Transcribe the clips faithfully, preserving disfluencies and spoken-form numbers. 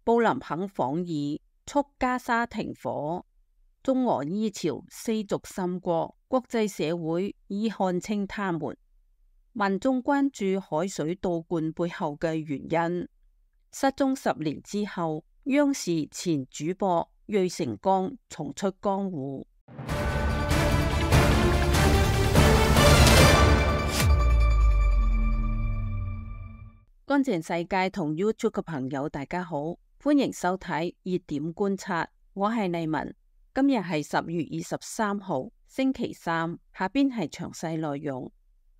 布林肯訪意促加沙停火。中俄伊朝四軸深國，國際社會已看清他們。民眾關注海水倒灌背後嘅原因。失蹤十年之後，央視前主播芮成鋼重出江湖。乾淨世界同 YouTube 嘅朋友大家好，歡迎收睇熱點觀察，我係麗文。今日係十月二十三號星期三，下邊係詳細內容。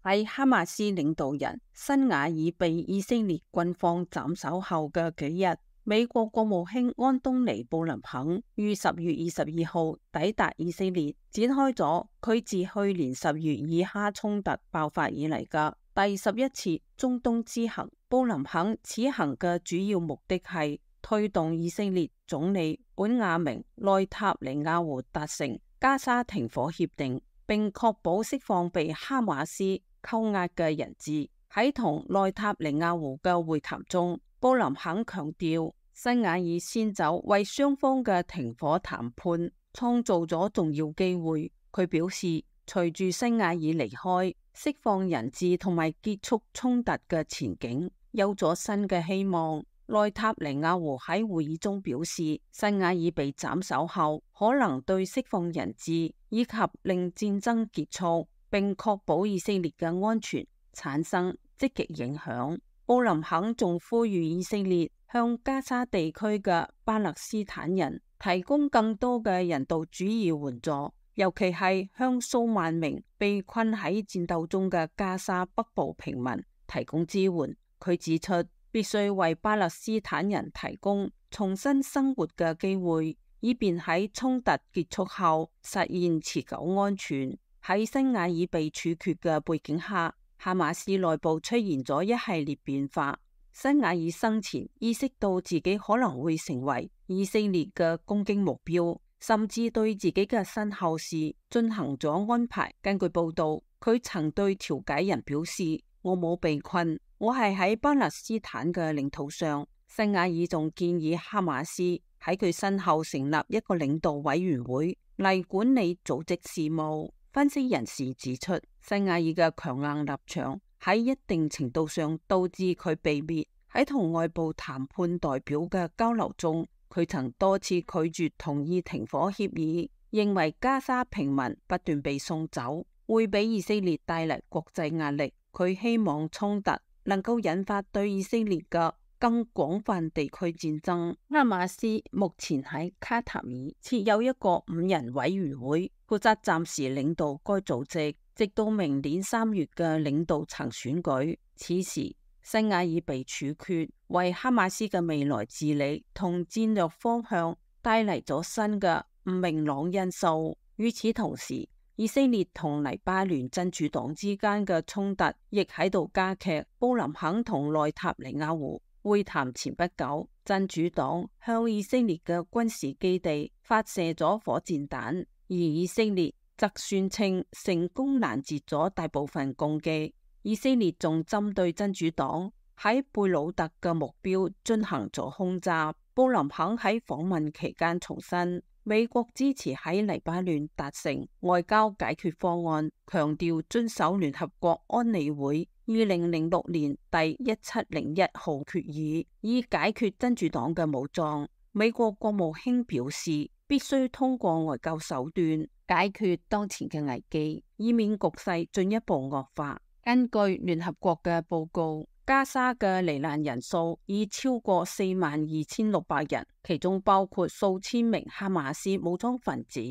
喺哈馬斯領導人辛瓦爾被以色列軍方斬首後嘅幾日，美國國務卿安東尼布林肯於十月二十二號抵達以色列，展開咗佢自去年十月以哈衝突爆發以嚟嘅第十一次中東之行。布林肯此行嘅主要目的係推動以色列總理本雅明內塔尼亞胡達成加沙停火協定，並確保釋放被哈馬斯扣押嘅人質。喺同內塔尼亞胡嘅會談中，布林肯強調辛瓦爾先走為雙方嘅停火談判創造咗重要機會。佢表示，隨住辛瓦爾離開，釋放人質同埋結束衝突嘅前景有咗新嘅希望。內塔尼亞胡喺會議中表示，辛瓦爾被斬首後，可能對釋放人質以及令戰爭結束並確保以色列嘅安全產生積極影響。布林肯仲呼籲以色列向加沙地區嘅巴勒斯坦人提供更多嘅人道主義援助，尤其係向數萬名被困喺戰鬥中嘅加沙北部平民提供支援。佢指出，必須為巴勒斯坦人提供重新生活嘅機會，以便喺衝突結束後實現持久安全。喺辛瓦爾被處決嘅背景下，哈馬斯內部出現咗一系列變化。辛瓦爾生前意識到自己可能會成為以色列嘅攻擊目標，甚至對自己嘅身後事進行咗安排。根據報道，佢曾對調解人表示：我冇被困，我係喺巴勒斯坦嘅領土上。辛瓦爾仲建議哈馬斯喺佢身後成立一個領導委員會嚟管理組織事務。分析人士指出，辛瓦爾嘅強硬立場喺一定程度上導致佢被滅。喺同外部談判代表嘅交流中，佢曾多次拒絕同意停火協議，認為加沙平民不斷被送走會俾以色列帶嚟國際壓力。佢希望衝突能夠引發對以色列嘅更廣泛地區戰爭。哈馬斯目前喺卡塔爾設有一個五人委員會，負責暫時領導該組織，直到明年三月嘅領導層選舉。此時，辛瓦爾被處決，為哈馬斯嘅未來治理同戰略方向帶嚟咗新嘅唔明朗因素。與此同時，以色列同黎巴嫩真主黨之間嘅衝突亦喺度加劇。布林肯同內塔尼亞胡會談前不久，真主黨向以色列嘅軍事基地發射咗火箭彈，而以色列則宣稱成功攔截咗大部分攻擊。以色列仲針對真主黨喺貝魯特嘅目標進行咗空襲。布林肯喺訪問期間重申，美國支持喺黎巴嫩達成外交解決方案，強調遵守聯合國安理會二零零六年第一七零一號決議，以解決真主黨嘅武裝。美國國務卿表示，必須通過外交手段解決當前嘅危機，以免局勢進一步惡化。根據聯合國嘅報告，加沙嘅罹難人數已超過四萬二千六百人，其中包括數千名哈馬斯武裝分子。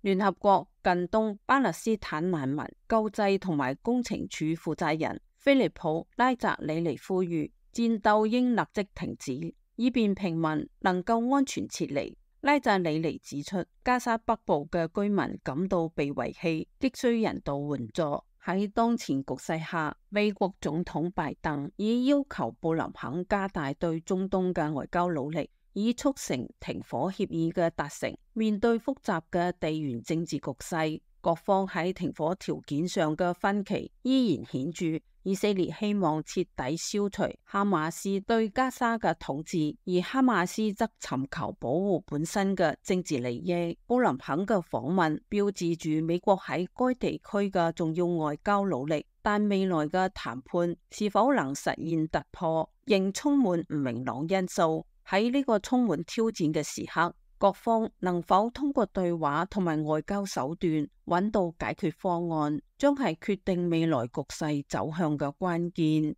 聯合國近東巴勒斯坦難民救濟同埋工程處負責人菲利普拉扎里尼呼籲戰鬥應立即停止，以便平民能夠安全撤離。拉扎里尼指出，加沙北部嘅居民感到被遺棄，急需人道援助。喺當前局勢下，美國總統拜登已要求布林肯加大對中東嘅外交努力，以促成停火協議嘅達成。面對複雜嘅地緣政治局勢，各方喺停火條件上嘅分歧依然顯著，以色列希望徹底消除哈馬斯對加沙嘅統治，而哈馬斯則尋求保護本身嘅政治利益。布林肯嘅訪問標誌住美國喺該地區嘅重要外交努力，但未來嘅談判是否能實現突破，仍充滿唔明朗因素。喺呢個充滿挑戰嘅時刻，各方能否通過對話同埋外交手段揾到解決方案，將係決定未來局勢走向嘅關鍵。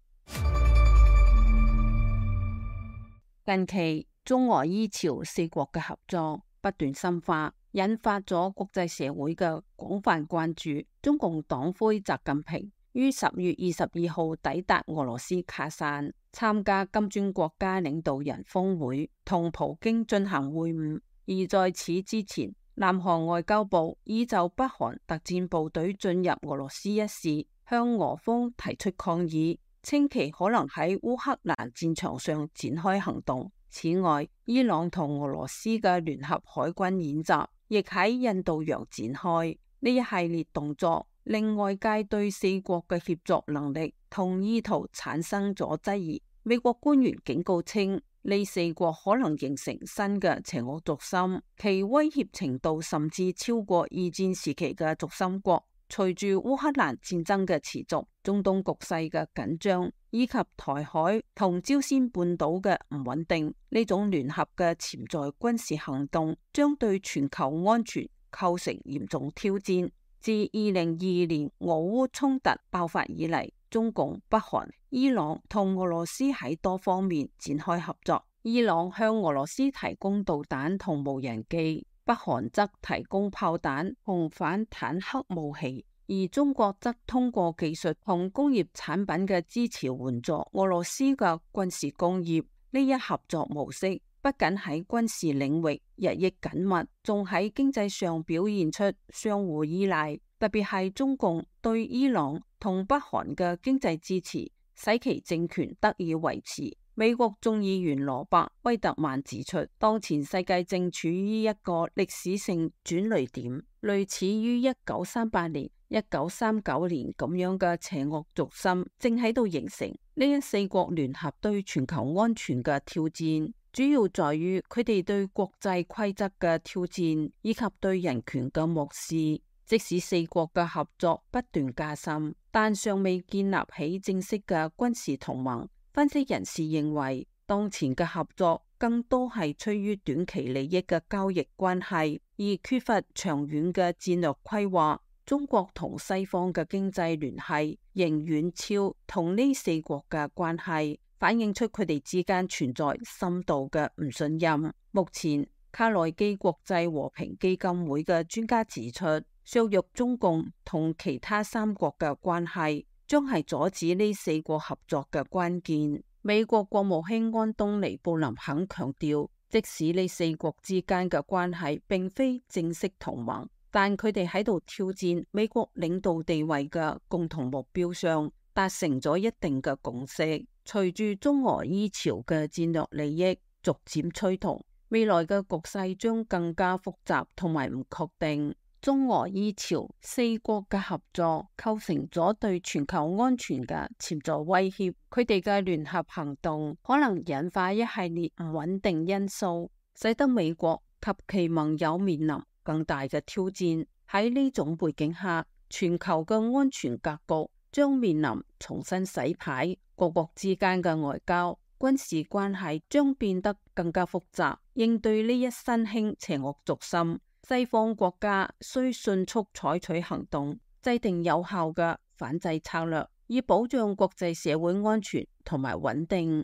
近期中俄伊朝四國嘅合作不斷深化，引發咗國際社會嘅廣泛關注。中共黨魁習近平於十月二十二號抵達俄羅斯卡山，參加金磚國家領導人峰會，同普京進行會晤。而在此之前，南韓外交部已就北韓特戰部隊進入俄羅斯一事向俄方提出抗議，稱其可能喺烏克蘭戰場上展開行動。此外，伊朗同俄羅斯嘅聯合海軍演習亦喺印度洋展開。呢一系列動作令外界對四國嘅協作能力同意圖產生咗質疑。美國官員警告稱，呢四國可能形成新嘅邪惡軸心，其威脅程度甚至超過二戰時期嘅軸心國。隨住烏克蘭戰爭嘅持續，中東局勢嘅緊張，以及台海同朝鮮半島嘅唔穩定，呢種聯合嘅潛在軍事行動將對全球安全構成嚴重挑戰。自二零二二年俄烏衝突爆發以嚟，中共、北韓、伊朗同俄羅斯喺多方面展開合作。伊朗向俄羅斯提供導彈同無人機，北韓則提供炮彈同反坦克武器，而中國則通過技術同工業產品嘅支持援助俄羅斯嘅軍事工業。呢一合作模式不僅喺軍事領域日益緊密，仲喺經濟上表現出相互依賴。特別係中共對伊朗同北韓嘅經濟支持，使其政權得以維持。美國眾議員羅伯威特曼指出，當前世界正處於一個歷史性轉捩點，類似於一九三八年、一九三九年咁樣嘅邪惡軸心正喺度形成。呢一四國聯合對全球安全嘅挑戰，主要在於佢哋對國際規則嘅挑戰，以及對人權嘅漠視。即使四國嘅合作不斷加深，但尚未建立起正式嘅軍事同盟。分析人士認為，當前嘅合作更多係出於短期利益嘅交易關係，而缺乏長遠嘅戰略規劃。中國同西方嘅經濟聯繫仍遠超同呢四國嘅關係，反映出佢哋之間存在深度嘅唔信任。目前，卡內基國際和平基金會嘅專家指出，削弱中共同其他三國嘅關係，將係阻止呢四國合作嘅關鍵。美國國務卿安東尼布林肯強調，即使呢四國之間嘅關係並非正式同盟，但佢哋喺度挑戰美國領導地位嘅共同目標上達成咗一定嘅共識。隨住中俄伊朝嘅戰略利益逐漸趨同，未來嘅局勢將更加複雜同埋唔確定。中俄伊朝四國嘅合作構成咗對全球安全嘅潛在威脅，佢哋嘅聯合行動可能引發一系列唔穩定因素，使得美國及其盟友面臨更大嘅挑戰。喺呢種背景下，全球嘅安全格局將面臨重新洗牌，各國之間嘅外交、軍事關係將變得更加複雜。應對呢一新興邪惡軸心，西方國家需迅速採取行動，制定有效嘅反制策略，以保障國際社會安全同埋穩定。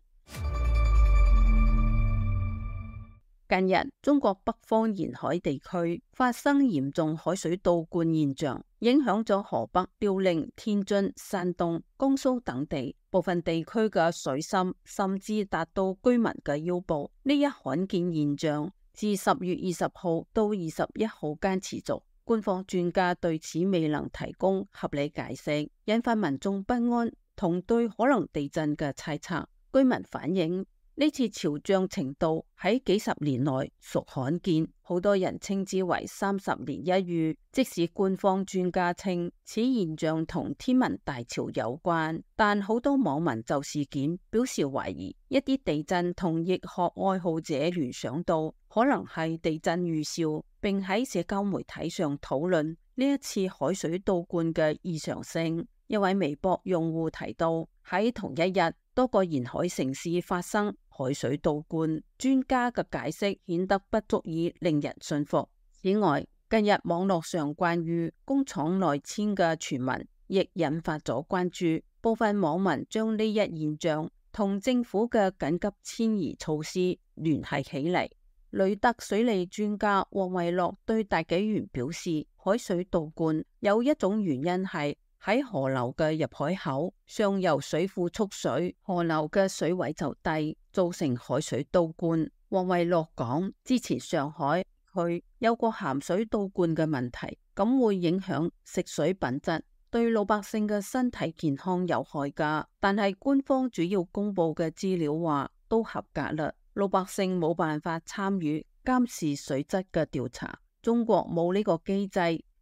近日，中國北方沿海地區發生嚴重海水倒灌現象，影響咗河北、遼寧、天津、山東、江蘇等地，部分地區嘅水深甚至達到居民嘅腰部。呢一罕見現象自十月二十號到二十一號間持續，官方專家對此未能提供合理解釋，引發民眾不安同對可能地震嘅猜測。居民反映，呢呢次潮漲程度喺幾十年內屬罕見，好多人稱之為三十年一遇。即使官方專家稱此現象同天文大潮有關，但好多網民就事件表示懷疑。一啲地震同易學愛好者聯想到可能係地震預兆，並喺社交媒體上討論呢一次海水倒灌嘅異常性。一位微博用戶提到，喺同一日多個沿海城市發生海水倒灌，專家嘅解釋顯得不足以令人信服。此外，近日網絡上關於工廠內遷嘅傳聞亦引發咗關注，部分網民將呢一現象同政府嘅緊急遷移措施聯繫起嚟。雷特水利專家黃維樂對大紀元表示，海水倒灌有一種原因係喺河流嘅入海口，上游水庫蓄水，河流嘅水位就低，造成海水倒灌。黃維樂講，之前上海區有個鹹水倒灌嘅問題，咁會影響食水品質，對老百姓嘅身體健康有害噶。但係官方主要公布嘅資料話都合格啦，老百姓冇辦法參與監視水質嘅調查。中國冇呢個機制，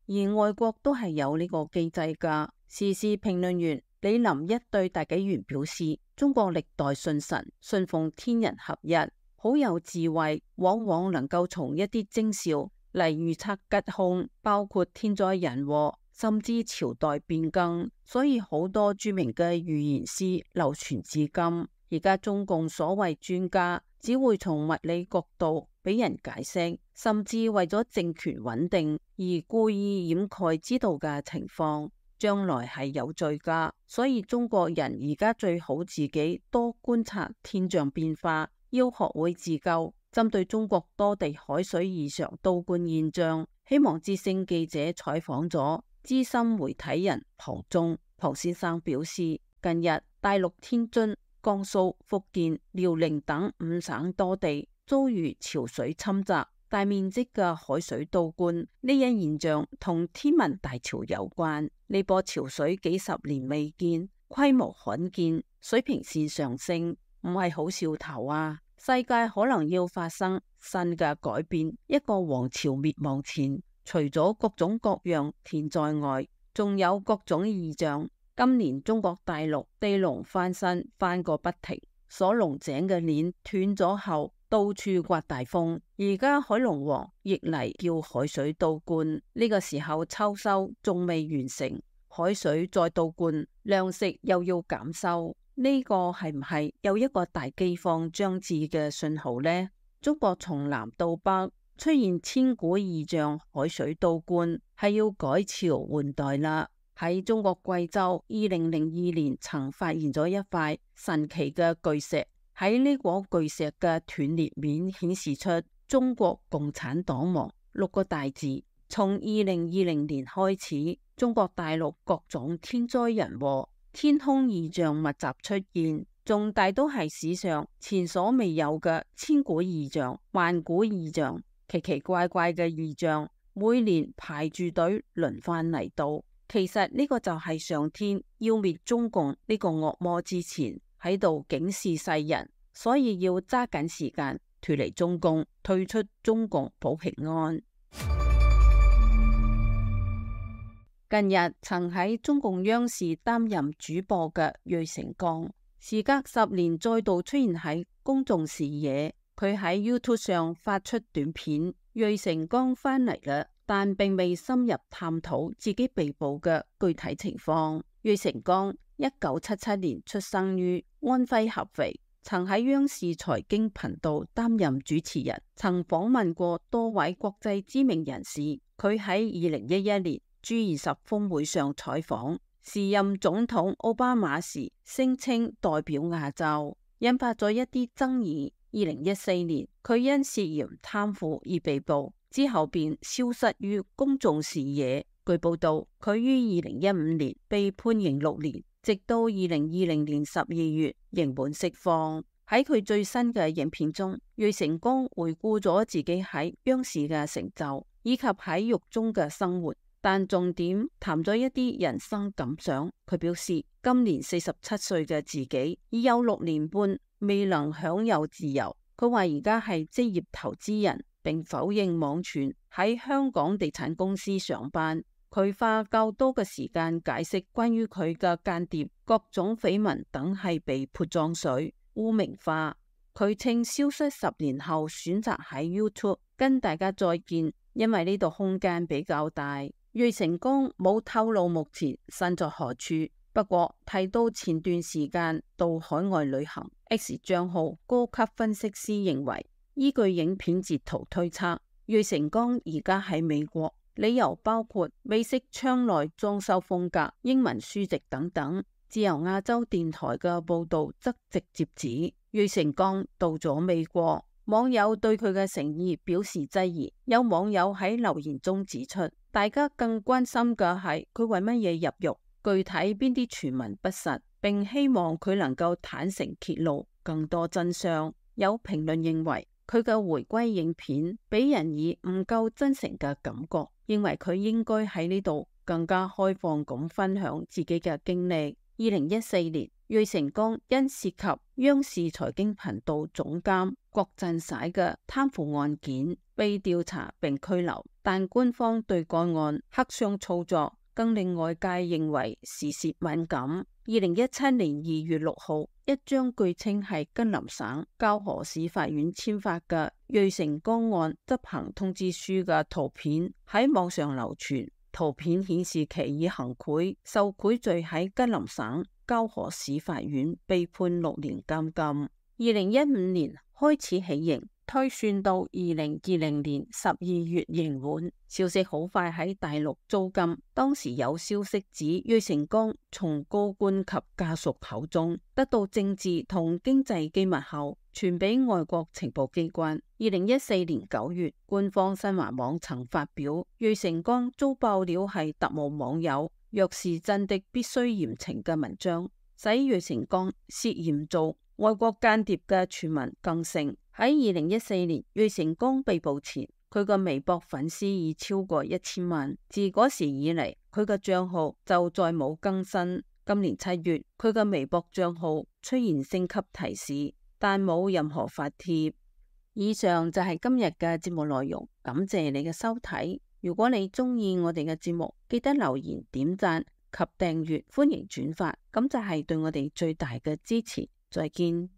而外國都係有呢個機制噶。時事評論員李林一對大紀元表示，中國歷代信神信奉天人合一，好有智慧，往往能夠從一啲徵兆嚟預測吉凶，包括天災人禍，甚至朝代變更。所以好多著名嘅預言師流傳至今。而家中共所謂專家只會從物理角度俾人解釋，甚至為咗政權穩定而故意掩蓋知道嘅情況，將來係有罪噶。所以中國人而家最好自己多觀察天象變化，要學會自救。針對中國多地海水異常倒灌現象，希望之聲記者採訪咗資深媒體人龐忠。龐先生表示，近日大陸天津、江蘇、福建、遼寧等五省多地遭遇潮水侵襲，大面積嘅海水倒灌，呢一現象同天文大潮有關。呢波潮水幾十年未見，規模罕見，水平線上升，唔係好兆頭啊！世界可能要發生新嘅改變。一個王朝滅亡前，除咗各種各樣天災外，仲有各種異象。今年中國大陸地龍翻身翻個不停，鎖龍井嘅鏈斷咗後，到處颳大風。而家海龍王亦嚟叫海水倒灌，呢個時候秋收仲未完成，海水再倒灌，糧食又要減收，呢個係唔係有一個大饑荒將至嘅信號呢？中國從南到北出現千古異象，海水倒灌係要改朝換代啦。喺中國貴州，二零零二年曾發現咗一塊神奇嘅巨石，喺呢個巨石嘅斷裂面顯示出中國共產黨亡六個大字。從二零二零年開始，中國大陸各種天災人禍、天空異象密集出現，仲大都係史上前所未有嘅千古異象、萬古異象，奇奇怪怪嘅異象，每年排住隊輪番嚟到。其實呢個就係上天要滅中共呢個惡魔之前喺度警示世人，所以要揸緊時間脫離中共，退出中共保平安。近日曾喺中共央視擔任主播嘅芮成鋼，時隔十年再度出現喺公眾視野。佢喺 YouTube 上發出短片，芮成鋼翻嚟啦，但並未深入探討自己被捕嘅具體情況。芮成鋼一九七七年出生於安徽合肥，曾喺央視財經頻道擔任主持人，曾訪問過多位國際知名人士。佢喺二零一一年 G 二十峰會上採訪，時任總統奧巴馬時聲稱代表亞洲，引發咗一啲爭議。二零一四年，佢因涉嫌貪腐而被捕，之後便消失於公眾視野。據報道，佢於二零一五年被判刑六年，直到二零二零年十二月刑滿釋放。喺佢最新嘅影片中，芮成鋼回顧咗自己喺央視嘅成就，以及喺獄中嘅生活。但重點談咗一啲人生感想。佢表示，今年四十七歲嘅自己已有六年半未能享有自由。佢話而家係職業投資人，並否認網傳喺香港地產公司上班。佢花較多嘅時間解釋關於佢嘅間諜、各種緋聞等係被潑髒水、污名化。佢稱消失十年後選擇喺 YouTube 跟大家再見，因為呢度空間比較大。芮成鋼冇透露目前身在何處，不過提到前段時間到海外旅行。X 賬號高級分析師認為，依據影片截圖推測，芮成鋼而家喺美國。理由包括美式窗內裝修風格、英文書籍等等。自由亞洲電台嘅報道則直接指芮成鋼到咗美國。網友對佢嘅誠意表示質疑。有網友喺留言中指出，大家更關心嘅係佢為乜嘢入獄，具體邊啲傳聞不實，並希望佢能夠坦誠揭露更多真相。有評論認為，佢嘅回歸影片俾人以唔夠真誠嘅感覺，認為佢應該喺呢度更加開放咁分享自己嘅經歷。二零一四年，芮成鋼因涉及央視財經頻道總監郭振璽嘅貪腐案件被調查並拘留，但官方對該案黑箱操作更令外界認為時事敏感。二零一七年二月六號，一張據稱係吉林省蛟河市法院簽發嘅芮成鋼案執行通知書嘅圖片喺網上流傳。圖片顯示其以行賄受賄罪喺吉林省蛟河市法院被判六年監禁。二零一五年開始起刑，推算到二零二零年十二月刑滿。消息好快喺大陸遭禁。當時有消息指芮成鋼從高官及家屬口中得到政治同經濟機密後，傳俾外國情報機關。二零一四年九月，官方新華網曾發表芮成鋼遭爆料係特務網友若是真的必須嚴懲嘅文章，使芮成鋼涉嫌做外國間諜嘅傳聞更盛。喺二零一四年芮成鋼被捕前，佢個微博粉絲已超過一千萬。自嗰時以嚟，佢嘅賬號就再冇更新。今年七月，佢嘅微博賬號出現升級提示，但冇任何發帖。以上就係今日嘅節目內容，感謝你嘅收睇。如果你中意我哋嘅節目，記得留言、點讚及訂閱，歡迎轉發，咁就係對我哋最大嘅支持。再見。